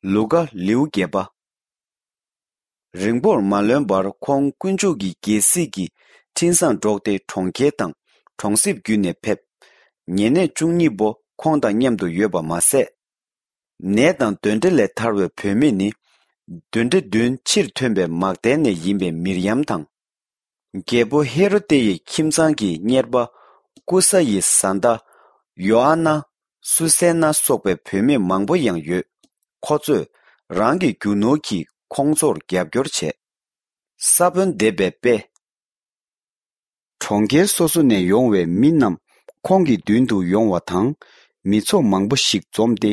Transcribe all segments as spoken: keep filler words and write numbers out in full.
ལུ་ཀ་ལེའུ་བརྒྱད་པ། རིང་པོར་མ་ལོན་པར་ཁོང་དཀོན་མཆོག་གི་རྒྱལ་སྲིད་ཀྱི་འཕྲིན་བཟང་སྒྲོག་སྟེ་གྲོང་ཁྱེར་དང་གྲོང་གསེབ་བརྒྱུད་ནས་ཕེབས། ཉེ་གནས་བཅུ་གཉིས་པོ་ཁོང་དང་མཉམ་དུ་ཡོད་པ་མ་ཟད། ནད་དང་གདོན་འདྲེ་ལས་ཐར་བའི་བུད་མེད་ནི། གདོན་འདྲེ་བདུན་ཕྱིར་ཐོན་པའི་མག་དལ་ནས་ཡིན་པའི་མིར་ཡམ་དང་། རྒྱལ་པོ་ཧེ་རོ་ཏེ་ཡི་ཁྱིམ་ཚང་གི་གཉེར་པ་ཀུ་ས་ཡི་བཟའ་ཟླ་ཡོ་ཨ་ན། སུ་སེ་ན་སོགས་པའི་བུད་མེད་མང་པོ་ཡང་ཡོད། ཁོ་ཚོས་རང་གི་རྒྱུ་ནོར་གྱིས་ཁོང་ཚོར་རྒྱབ་སྐྱོར་བྱས། ས་བོན་འདེབས་པའི་དཔེ། གྲོང་ཁྱེར་སོ་སོ་ནས་ཡོང་བའི་མི་རྣམས་ཁོང་གི་མདུན་དུ་ཡོང་བ་དང་། མི་ཚོགས་མང་པོ་ཞིག་འཛོམས་ཏེ།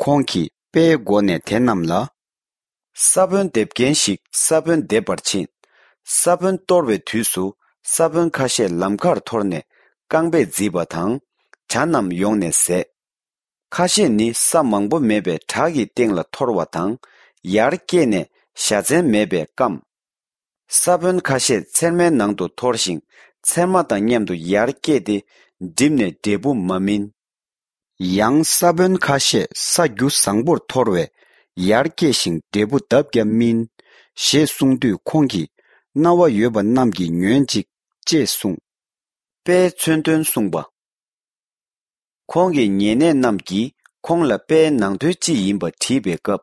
ཁོང་གིས་དཔེའི་སྒོ་ནས་དེ་རྣམས་ལ། ས་བོན་འདེབས་མཁན་ཞིག་ས་བོན་འདེབས་པར་ཕྱིན། ས་བོན་གཏོར་བའི་དུས་སུ་ས་བོན་ཁ་ཤས་ལམ་ཁར་འཐོར་ནས་རྐང་པས་བརྫིས་པ་དང་། བྱ་རྣམས་ཡོང་ནས་ཟས། ཁ་ཤས་ནི་ས་མང་པོ་མེད་པའི་བྲག་གི་སྟེང་ལ་འཐོར་བ་དང་། ཡར་སྐྱེས་ནས་བཞའ་ཚན་མེད་པས་སྐམ། ས་བོན་ཁ་ཤས་ཚེར་མའི་ནང་དུ་འཐོར་ཞིང་། ཚེར་མ་དང་མཉམ་དུ་ཡར་སྐྱེས་ཏེ། འགྲིབ་ནས་འབྲས་བུ་མ་སྨིན། ཡང་ས་བོན་ཁ་ཤས་ས་རྒྱུ་བཟང་པོར་འཐོར་བས། ཡར་སྐྱེས་ཤིང་འབྲས་བུ་ལྡབ་བརྒྱ་སྨིན། ཞེས་གསུངས་དུས་ཁོང་གིས། རྣ་བ་ཡོད་པ་རྣམས་ཀྱིས་ཉོན་ཅིག་ཅེས་གསུངས། དཔེའི་མཚོན་དོན་གསུངས་པ། ཁོང་གི་ཉེ་གནས་རྣམས་ཀྱིས་ཁོང་ལ་དཔེའི་ནང་དོན་ཅི་ཡིན་པ་དྲིས་པའི་སྐབས།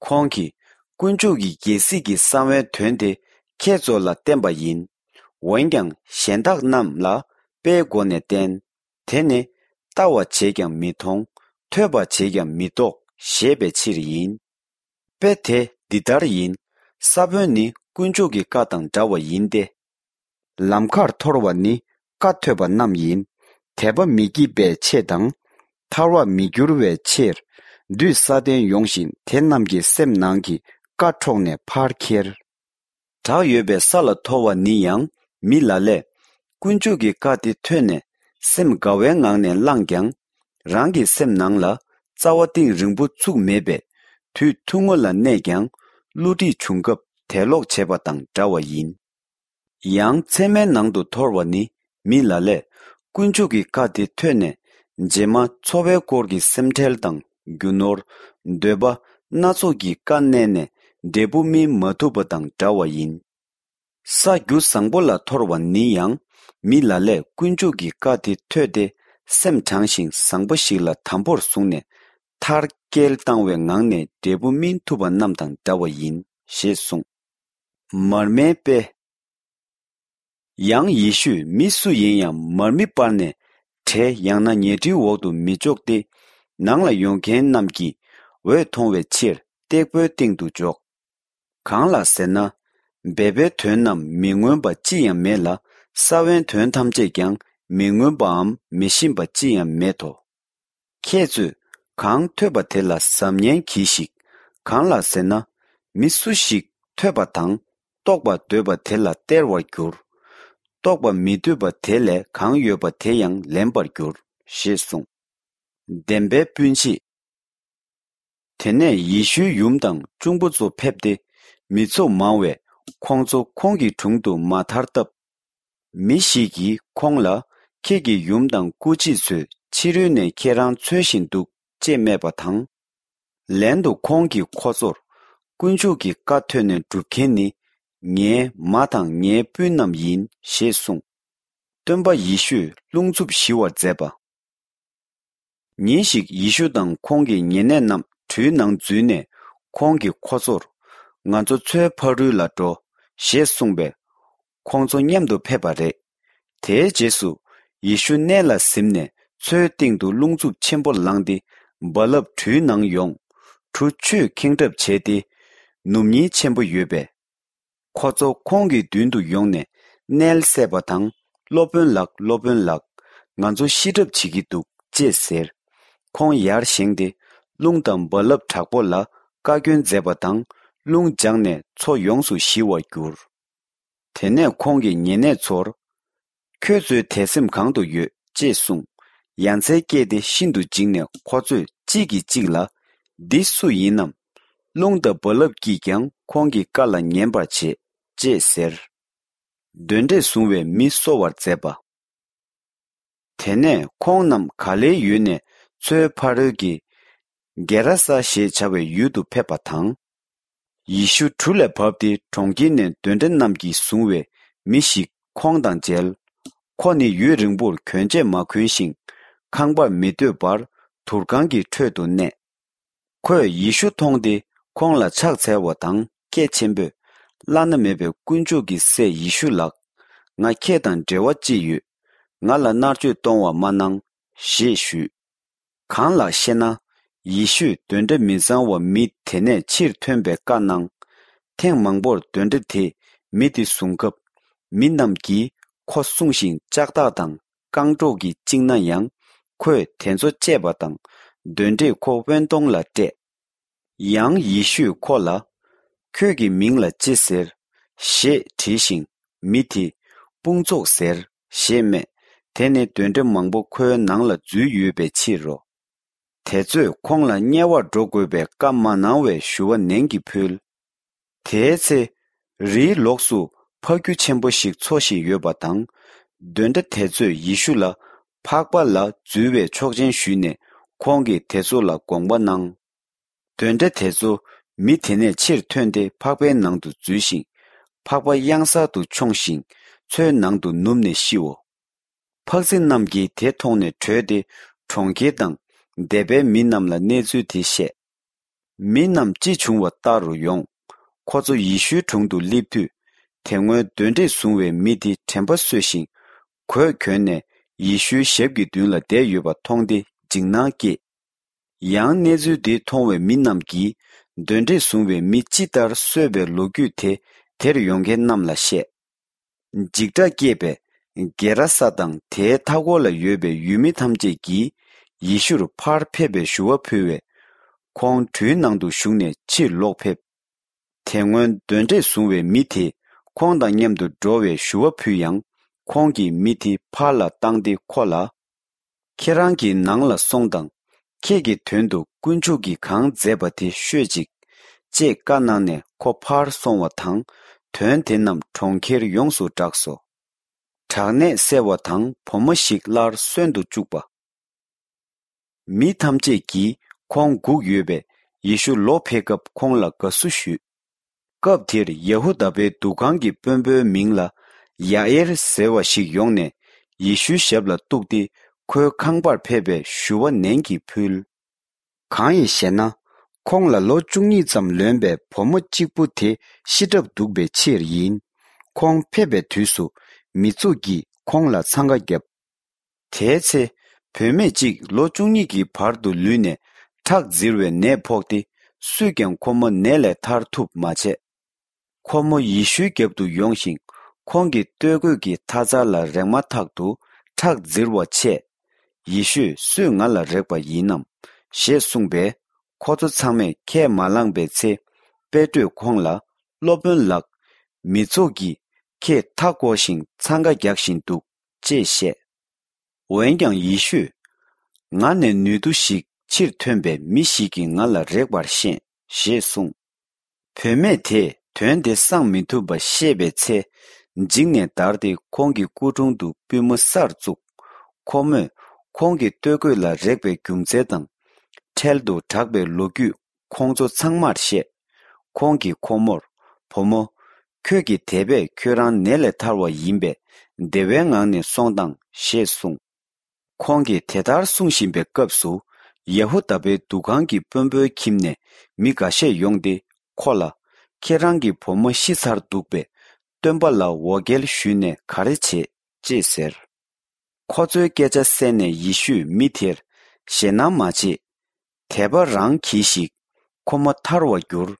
ཁོང་གིས། དཀོན་མཆོག་གི་རྒྱལ་སྲིད་ཀྱི་གསང་བའི་དོན་དེ་ཁྱེད་ཚོ་ལ་བསྟན་པ་ཡིན། འོན་ཀྱང་གཞན་དག་རྣམས་ལ་དཔེའི་སྒོ་ནས་བསྟན། དེ་ནི། ལྟ་བ་བྱས་ཀྱང་མི་མཐོང་། ཐོས་པ་བྱས་ཀྱང་མི་རྟོགས་ཞེས་པའི་ཕྱིར་ཡིན། དཔེ་དེ་འདི་ལྟར་ཡིན། ས་བོན་ནི་དཀོན་མཆོག་གི་བཀའ་དང་འདྲ་བ་ཡིན་ཏེ། ལམ་ཁར་འཐོར་བ་ནི་བཀའ་ཐོས་པ་རྣམས་ཡིན། དད་པ་མི་སྐྱིད་པའི་ཆེད་དང་། ཐར་བར་མི་འགྱུར་བའི་ཕྱིར། བདུད་སྲ་བརྟན་ཡོང་ཞིང་དེ་རྣམས་ཀྱི་སེམས་ནང་གི་བཀའ་འཕྲོག་ནས་ཕར་ཁྱེར། བྲག་ཡོད་པའི་ས་ལ་འཐོར་བ་ནི་ཡང་མི་ལ་ལས། དཀོན་མཆོག་གི་བཀའ་དེ་ཐོས་ནས་སེམས་དགའ་བའི་ངང་ནས་བླངས་ཀྱང་། རང་གི་སེམས་ནང་ལ་རྩ་བ་གཏིང་རིང་པོ་ཚུགས་མེད་པས། དུས་ཐུང་ངུ་ལ་གནས་ཀྱང་། བསླུ་བྲིད་བྱུང་སྐབས་དད་ལོག་བྱེད་པ་དང་འདྲ་བ་ཡིན། ཡང་ཚེར་མའི་ནང་དུ་འཐོར་བ་ནི་མི་ལ་ལས། དཀོན་མཆོག་གི་བཀའ་དེ་ཐོས་ནས། རྗེས་མ་འཚོ་བའི་སྐོར་གྱི་སེམས་ཁྲལ་དང་རྒྱུ་ནོར། འདོད་པ་སྣ་ཚོགས་ཀྱིས་ཀ་མནན་ནས་འབྲས་བུ་སྨིན་མ་ཐུབ་པ་དང་འདྲ་བ་ཡིན། ས་རྒྱུ་བཟང་པོ་ལ་འཐོར་བ་ནི་ཡང་མི་ལ་ལས་དཀོན་མཆོག་གི་བཀའ་དེ་ཐོས་ཏེ་སེམས་དྲང་ཞིང་བཟང་པོ་ཞིག་ལ་དམ་པོར་བཟུང་ནས་མཐར་སྐྱེལ་བཏང་བའི་ངང་ནས་འབྲས་བུ་སྨིན་ཐུབ་པ་རྣམས་དང་འདྲ་བ་ཡིན་ཞེས་གསུངས། མར་མེའི་དཔེ། ཡང་ཡེ་ཤུས་མི་སུ་ཡིན་ཡང་མར་མེ་སྤར་ནས་བྲེ་ཡང་ན་ཉལ་ཁྲིའི་འོག་ཏུ་མི་འཇོག་སྟེ། ནང་ལ་ཡོང་མཁན་རྣམས་ཀྱིས་འོད་མཐོང་བའི་ཕྱིར་སྟེགས་བུའི་སྟེང་དུ་འཇོག། གང་ལགས་ཟེར་ན། སྦས་པའི་དོན་རྣམས་མི་མངོན་པ་ཅི་ཡང་མེད་ལ། ས་བོན་དོན་ཐམས་ཅད་ཀྱང་མི་མངོན་པའམ་མི་ཤེས་པ་ཅི་ཡང་མེད་དོ། ཁྱེད་ཚོས་གང་ཐོས་པ་དེ་ལ་གཟབ་ཉན་གྱིས་ཤིག། གང་ལགས་ཟེར་ན། མི་སུ་ཞིག་ཐོས་པ་དང་རྟོགས་པར་འདོད་པ་དེ་ལ་སྟེར་བར་འགྱུར། རྟོགས་པར་མི་འདོད་པ་དེ་ལས་གང་ཡོད་པ་དེ་ཡང་ལེན་པར་འགྱུར་ཞེས་གསུངས། བདེན་པའི་སྤུན་མཆེད། དེ་ནས་ཡེ་ཤུའི་ཡུམ་དང་གཅུང་པོ་ཚོ་ཕེབས་ཏེ། མི་ཚོགས་མང་བས་ཁོང་ཚོ་ཁོང་གི་དྲུང་དུ་མ་ཐར་སྟབས། མི་ཞིག་གིས་ཁོང་ལ། ཁྱེད་ཀྱི་ཡུམ་དང་སྐུ་མཆེད་ཚོས་ཕྱི་རོལ་ནས་ཁྱེད་རང་འཚོལ་བཞིན་འདུག་ཅེས་སྨྲས་པ་དང་། ལན་དུ་ཁོང་གིས་ཁོ་ཚོར། དཀོན་མཆོག་གི་བཀའ་ཐོས་ནས་སྒྲུབ་མཁན་ནི། ངའི་མ་དང་ངའི་སྤུན་རྣམས་ཡིན་ཞེས་གསུངས། སྟོན་པ་ཡེ་ཤུས་རླུང་འཚུབ་ཞི་བར་མཛད་པ། ཉིན་ཞིག་ཡེ་ཤུ་དང་ཁོང་གི་ཉེ་གནས་རྣམས་གྲུའི་ནང་འཛུལ་ནས་ཁོང་གིས་ཁོ་ཚོར། ང་ཚོ་མཚོའི་ཕ་རོལ་ལ་འགྲོ། ཞེས་གསུངས་པས། ཁོང་ཚོ་མཉམ་དུ་ཕེབས་པ་རེད། དེའི་རྗེས་སུ་ཡེ་ཤུ་གནས་ལ་གཟིམས་ནས་མཚོའི་སྟེང་དུ་རླུང་འཚུབ་ཆེན་པོ་ལངས་ཏེ་རྦ་རླབས་གྲུའི་ནང་ཡོང་། གྲུ་ཆུས་ཁེངས་གྲབས་བྱས་ཏེ། ནུབ་ཉིལ་ཆེན་པོ་ཡོད་པས། ཁོ་ཚོ་ཁོང་གི་མདུན་དུ་ཡོང་ནས་མནལ་སད་པ་དང་། སློབ་དཔོན་ལགས། སློབ་དཔོན་ལགས། ང་ཚོ་ཤི་གྲབས་བྱེད་ཀྱི་འདུག་ཅེས་ཟེར། ཁོང་ཡར་བཞེངས་ཏེ། རླུང་དང་རྦ་རླབས་དྲག་པོ་ལ་བཀའ་བཀྱོན་མཛད་པ་དང་། རླུང་འཇགས་ནས་མཚོ་ཡོངས་སུ་ཞི་བར་གྱུར། དེ་ནས་ཁོང་གིས་ཉེ་གནས་ཚོར། ཁྱོད་ཚོའི་དད་སེམས་གང་དུ་ཡོད་ཅེས་གསུངས། ཡ་མཚན་སྐྱེས་ཏེ་ཤིན་ཏུ་འཇིགས་ནས་ཁོ་ཚོས་གཅིག་གིས་གཅིག་ལ། འདི་སུ་ཡིན་ནམ། རླུང་དང་རྦ་རླབས་ཀྱིས་ཀྱང་ཁོང་གི་བཀའ་ལ་ཉན་པར་བྱེད། ཅེས་ཟེར། གདོན་འདྲེས་བཟུང་བའི་མི་གསོ་བར་མཛད་པ། དེ་ནས་ཁོང་རྣམས་ག་ལེའི་ཡུལ་ནས་མཚོའི་ཕ་རོལ་གྱི་ གེ་ར་ས་ཞེས་བྱ་བའི་ཡུལ་དུ་ཕེབས་པ་དང་། ཡེ་ཤུ་གྲུ་ལས་བབས་ཏེ་གྲོང་ཁྱེར་ནས་གདོན་འདྲེ་རྣམས་ཀྱིས་བཟུང་བའི་མི་ཞིག་ཁོང་དང་མཇལ། ཁོ་ནི་ཡུན་རིང་པོར་གྱོན་ཆས་མ་གོན་ཞིང་ཁང་པར་མི་སྡོད་པར་དུར་ཁང་གི་ཁྲོད་དུ་གནས། ཁོས་ཡེ་ཤུ་མཐོང་སྟེ་ཁོང་ལ་ཕྱག་འཚལ་བ་དང་སྐད་ཆེན་པོས། བླ་ན་མེད་པའི་དཀོན་མཆོག་གི་སྲས་ཡེ་ཤུ་ལགས། ང་ཁྱེད་དང་འབྲེལ་བ་ཅི་ཡོད། ང་ལ་མནར་གཅོད་གཏོང་བ་མ་གནང་། ཞེས་ཞུས། གང་ལགས་ཤེ་ན། ཡེ་ཤུས་གདོན་འདྲེ་མི་གཙང་བ་མི་དེ་ནས་ཕྱིར་ཐོན་པའི་བཀའ་གནང་། ཐེངས་མང་པོར་གདོན་འདྲེ་དེས་མི་དེ་བཟུང་སྐབས། མི་རྣམས་ཀྱིས་ཁོ་བསྲུང་ཞིང་ལྕགས་ཐག་དང་། རྐང་སྒྲོག་གིས་བཅིངས་ན་ཡང་། ཁོས་དེ་ཚོ་བཅད་པ་དང་། གདོན་འདྲེས་ཁོ་དབེན་སྟོང་ལ་བསྐྲད། ཡང་ཡེ་ཤུས་ཁོ་ལ། ཁྱོད་ཀྱི་མིང་ལ་ཅི་ཟེར། ཞེས་དྲིས་ཤིང་། མི་དེས། དཔུང་ཚོགས་ཟེར། ཞེས་སྨྲས། དེ་ནི་གདོན་འདྲེ་མང་པོ་ཁོའི་ནང་ལ་འཛུལ་ཡོད་པའི་ཕྱིར་རོ། དེ་ཚོས་ཁོང་ལ་དམྱལ་བར་འགྲོ་དགོས་པའི་བཀའ་མ་གནང་བའི་ཞུ་བ་ནན་གྱིས་ཕུལ། དེའི་ཚེ། རིའི་ལོགས་སུ་ཕག་ཁྱུ་ཆེན་པོ་ཞིག་འཚོ་བཞིན་ཡོད་པ་དང་། གདོན་འདྲེ་དེ་ཚོས་ཡེ་ཤུ་ལ། ཕག་པ་ལ་འཛུལ་བའི་ཆོག་མཆན་ཞུས་ནས་ཁོང་གིས་དེ་ཚོ་ལ་དགོངས་པ་གནང་། གདོན་འདྲེ་དེ་ཚོ་མི་དེ་ནས་ཕྱིར་ཐོན་ཏེ་ཕག་པའི་ནང་དུ་འཛུལ་ཞིང་། ཕག་པ་གཡང་གཟར་དུ་མཆོངས་ཤིང་མཚོའི་ནང་དུ་ནུབ་ནས་ཤིའོ། ཕག་རྫི་རྣམས་ཀྱིས་དེ་མཐོང་ནས་བྲོས་ཏེ་གྲོང་ཁྱེར་དང་སྡེ་པའི་མི་རྣམས་ལ་གནས་ཚུལ་དེ་བཤད། མི་རྣམས་ཅི་བྱུང་བ་ལྟ་རུ་ཡོང་། ཁོ་ཚོ་ཡེ་ཤུའི་དྲུང་དུ་སླེབས་དུས། དེ་སྔོན་གདོན་འདྲེས་བཟུང་བའི་མི་དེ་དྲན་པ་གསོས་ཤིང་། གོས་གྱོན་ནས་ཡེ་ཤུའི་ཞབས་ཀྱི་མདུན་ལ་བསྡད་ཡོད་པ་མཐོང་སྟེ་འཇིགས་སྣང་སྐྱེས། ཡང་གནས་ཚུལ་འདི་མཐོང་བའི་མི་རྣམས་ཀྱིས། གདོན་འདྲེས་བཟུང་བའི་མི་ཅི་ལྟར་གསོས་པའི་ལོ་རྒྱུས་དེ་དེར་ཡོང་མཁན་རྣམས་ལ་བཤད། འཇིགས་སྐྲག་སྐྱེས་པས། གེ་ར་ས་དང་དེའི་མཐའ་འཁོར་ལ་ཡོད་པའི་ཡུལ་མི་ཐམས་ཅད་ཀྱིས། ཡེ་ཤུར་ཕར་ཕེབས་པའི་ཞུ་བ་ཕུལ་བས། ཁོང་གྲུའི་ནང་དུ་ཞུགས་ནས་ཕྱིར་ལོག་ཕེབས། དེ་སྔོན་གདོན་འདྲེས་བཟུང་བའི་མི་དེས་ཁོང་དང་མཉམ་དུ་འགྲོ་བའི་ཞུ་བ་ཕུལ་ཡང་། ཁོང་གིས་མི་དེ་ཕར་ལ་བཏང་སྟེ་ཁོ་ལ། ཁྱེད་རང་གི་ནང་ལ་སོང་དང་། ཁྱེད་ཀྱི་དོན་དུ་དཀོན་མཆོག་གིས་གང་མཛད་པ་དེ་ཤོད་ཅིག་ཅེས་བཀའ་གནང་ནས་ཁོ་ཕར་སོང་བ་དང་། དོན་དེ་རྣམས་གྲོང་ཁྱེར་ཡོངས་སུ་བསྒྲགས་སོ། དྲག་ནད་སེལ་བ་དང་བུ་མོ་ཞིག་སླར་གསོན་དུ་བཅུག་པ། མི་ཐམས་ཅད་ཀྱིས་ཁོང་སྒུག་ཡོད་པས་ཡེ་ཤུ་ལོག་ཕེབས་སྐབས་ཁོང་ལ་དགའ་བསུ་ཞུས། སྐབས་དེར་ཡ་ཧུ་དཱ་པའི་འདུ་ཁང་གི་དཔོན་པོའི་མིང་ལ་ཡ་ཨེར་ཟེར་བ་ཞིག་ཡོང་ནས་ཡེ་ཤུའི་ཞབས་ལ་གཏུགས་ཏེ་ཁོའི་ཁང་པར་ཕེབས་པའི་ཞུ་བ་ནན་གྱིས་ཕུལ། གང་ཡིན་ཞེ་ན། ཁོང་ལ་ལོ་བཅུ་གཉིས་ཙམ་ལོན་པའི་བུ་མོ་གཅིག་པུ་དེ་ཤི་གྲབས་འདུག་པའི་ཕྱིར་ཡིན། ཁོང་ཕེབས་པའི་དུས་སུ་མི་ཚོགས་ཀྱིས་ཁོང་ལ་འཚང་ཁ་བརྒྱབ། དེའི་ཚེ། བུད་མེད་ཅིག་ལོ་བཅུ་གཉིས་ཀྱི་བར་དུ་ལུས་ནས་ཁྲག་འཛིར་བའི་ནད་ཕོག་སྟེ། སུས་ཀྱང་ཁོ་མོ་ནད་ལས་ཐར་ཐུབ་མ་བྱས། ཁོ་མོ་ཡེ་ཤུའི་རྒྱབ་ཏུ་ཡོང་ཞིང་། ཁོང་གི་སྟོད་གོས་ཀྱི་མཐའ་རྩ་ལ་རེག་མ་ཐག་ཏུ་ཁྲག་འཛིར་བ་ཆད། ཡེ་ཤུས། སུས་ང་ལ་རེག་པ་ཡིན་ནམ། ཞེས་གསུངས་པས། ཁོ་ཚོ་ཚང་མས་ཁས་མ་བླངས་པའི་ཚེ། པེ་ཏྲོས་ཁོང་ལ། སློབ་དཔོན་ལགས། མི་ཚོགས་ཀྱིས་ཁྱེད་མཐའ་བསྐོར་ཞིང་འཚང་ཁ་རྒྱག་བཞིན་འདུག་ཅེས་བཤད། འོན་ཀྱང་ཡེ་ཤུས། ང་ནས་ནུས་མཐུ་ཞིག་ཕྱིར་ཐོན་པའི་མི་ཞིག་གིས་ང་ལ་རེག་པར་ཤེས། ཞེས་གསུངས། བུད་མེད་དེས་དོན་དེ་གསང་མི་ཐུབ་པ་ཤེས་པའི་ཚེ། འཇིགས་ནས་འདར་ཏེ་ཁོང་གི་སྐུ་དྲུང་དུ་པུས་མོ་སར་བཙུགས། ཁོ་མོས་ཁོང་གི་སྟོད་གོས་ལ་རེག་པའི་རྒྱུ་མཚན་དང་། འཕྲལ་དུ་དྲག་པའི་ལོ་རྒྱུས་ཁོང་ཚོ་ཚང་མར་བཤད། ཁོང་གིས་ཁོ་མོར། བུ་མོ། ཁྱོད་ཀྱི་དད་པས་ཁྱོད་རང་ནད་ལས་ཐར་བ་ཡིན་པས། བདེ་བའི་ངང་ནས་སོང་དང་། ཞེས་གསུངས། ཁོང་གིས་དེ་ལྟར་གསུང་བཞིན་པའི་སྐབས་སུ། ཡ་ཧུ་དཱ་པའི་འདུ་ཁང་གི་དཔོན་པོའི་ཁྱིམ་ནས་མི་འགའ་ཤས་ཡོང་སྟེ་ཁོ་ལ། ཁྱེད་རང་གི་བུ་མོ་ཤི་ཚར་འདུག་པས། སྟོན་པ་ལ་འོ་བརྒྱལ་ཞུས་ནས་ག་རེ་བྱེད། ཅེས་ཟེར། ཁོ་ཚོའི་སྐད་ཆ་གསན་ནས་ཡེ་ཤུས་མི་དེར། ཞེད་སྣང་མ་བྱེད། དད་པ་རང་གྱིས་ཤིག་ཁོ་མོ་ཐར་བར་འགྱུར།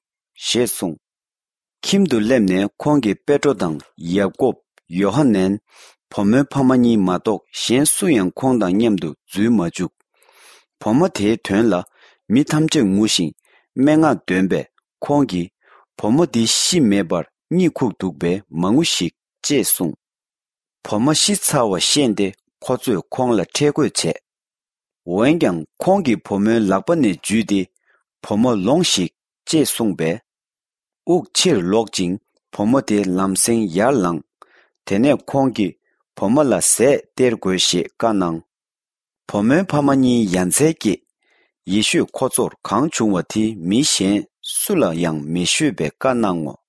ཞེས་གསུངས། ཁྱིམ་དུ་སླེབས་ནས་ཁོང་གིས་པེ་ཏྲོ་དང་ཡ་ཀོབ། ཡོ་ཧ་ནན། བུ་མོའི་ཕ་མ་གཉིས་མ་གཏོགས་གཞན་སུ་ཡང་ཁོང་དང་མཉམ་དུ་འཛུལ་མ་བཅུག་བུ་མོ་དེའི་དོན་ལ་མི་ཐམས་ཅད་ངུ་ཞིང་སྨྲེ་སྔགས་འདོན་པས། ཁོང་གིས། བུ་མོ་འདི་ཤི་མེད་པར་གཉིད་ཁུག་འདུག་པས་མ་ངུ་ཞིག་ཅེས་གསུངས། བུ་མོ་ཤི་ཚར་བ་ཤེས་ཏེ་ཁོ་ཚོས་ཁོང་ལ་ཁྲེལ་དགོད་བྱས། འོན་ཀྱང་ཁོང་གིས་བུ་མོའི་ལག་པ་ནས་འཇུས་ཏེ། བུ་མོ་ལོངས་ཤིག་ཅེས་གསུངས་པས། དབུགས་ཕྱིར་ལོག་ཅིང་བུ་མོ་དེ་ལམ་སེང་ཡར་ལངས། དེ་ནས་ཁོང་གིས་བུ་མོ་ལ་ཟས་སྟེར་དགོས་ཞེས་བཀའ་གནང་། བུ་མོའི་ཕ་མ་གཉིས་ཡ་མཚན་སྐྱེས། ཡེ་ཤོས་ཁོ་ཚོར་གང་བྱུང་བ་དེ་མི་གཞན་སུ་ལ་ཡང་མི་ཤོད་པའི་བཀའ་གནང་ངོ་